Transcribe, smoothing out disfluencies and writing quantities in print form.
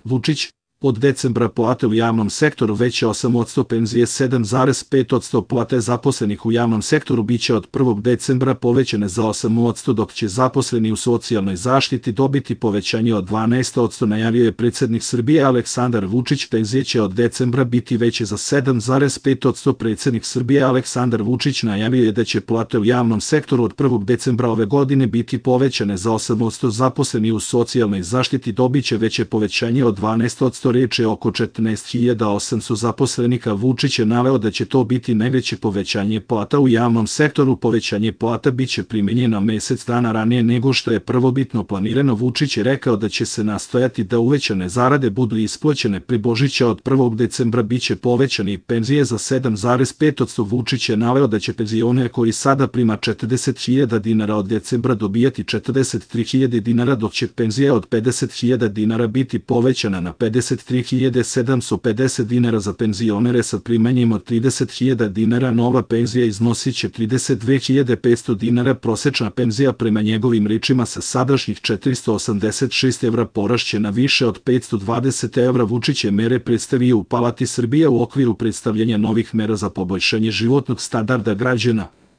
Vučić, od decembra plate u javnom sektoru veće 8%, penzije 7,5%, plate zaposlenih u javnom sektoru biće od 1. decembra povećane za 8%, dok će zaposleni u socijalnoj zaštiti dobiti povećanje od 12%, najavio je predsjednik Srbije Aleksandar Vučić. Penzije će od decembra biti veće za 7,5%. Predsjednik Srbije Aleksandar Vučić najavio je da će plate u javnom sektoru od 1. decembra ove godine biti povećane za 8%, zaposleni u socijalnoj zaštiti dobiće veće povećanje od 12%. Reč je oko 14.800 zaposlenika. Vučić je naveo da će to biti najveće povećanje plata u javnom sektoru. Povećanje plata biće primenjeno mesec dana ranije nego što je prvobitno planirano. Vučić je rekao da će se nastojati da uvećane zarade budu isplaćene pri Božića. Od 1. decembra biće povećani penzije za 7,5%. Vučić je naveo da će penzioner koji sada prima 40.000 dinara od decembra dobijati 43.000 dinara, dok će penzija od 50.000 dinara biti povećana na 53.750 dinara. Za penzionere sa primanjem od 30.000 dinara nova penzija iznosit će 32.500 dinara. Prosečna penzija prema njegovim rečima sa sadašnjih 486 evra porašće na više od 520 evra. Vučić je mere predstavio u Palati Srbije u okviru predstavljanja novih mera za poboljšanje životnog standarda građana.